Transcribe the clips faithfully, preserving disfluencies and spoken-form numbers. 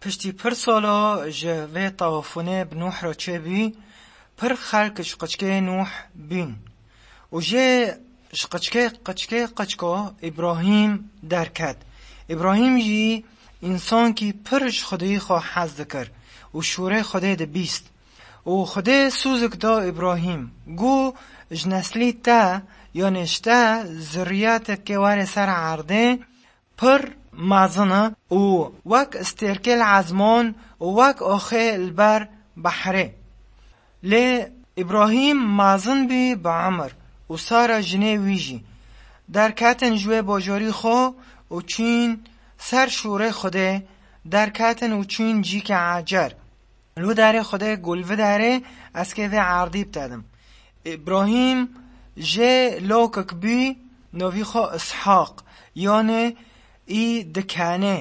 Piştî pir sala ji vê tawafunê bi Nuh re çêbî, pir xelk ji qiçkê Nuh bîn. Û jê ji qiçkê qiçkê qiçko Îbrahîm derket. Îbrahîm jî însankî pir ji Xwedî xwe hez dikir û şûrê Xwedê dibîst. Û Xwedê sûzik da Îbrahîm, got, ji neslî te, yanê ji te, zurriyetekê were ser erdê, pir mezin e û wek stêrkê li ezman û wek axê li ber behrê. Lê Îbrahîm mezin bî bi emir û Sara jinê wî jî. Derketin ji wê bajarî xwe û çûn ser şûrê Xwedê, derketin û çûn cîkê Ecer. Li wî derê Xwedê got, li vî derê ez kê vê erdî bitedim. Îbrahîm jê lawkek bî, navî xwe Îshaq, yanê î dikenê.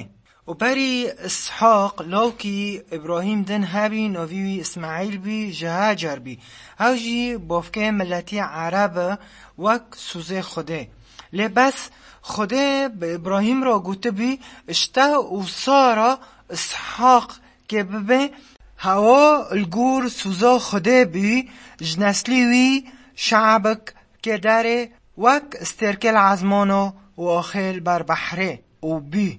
Û berî Îshaq lawkî Îbrahîm din hebî, navî wî Îsmaîl bî, ji Hecer bî. Ew jî bavkê miletî Ereb e, wek sûzê Xwedê. Lê bes Xwedê bi Îbrahîm re gotibî, ji te û Sara Îshaq kê bibe, hewa li gor sûza Xwedê bî, ji neslî wî şe'bek kê derê wek stêrkê li ezmano û axê li ber behrê û bî.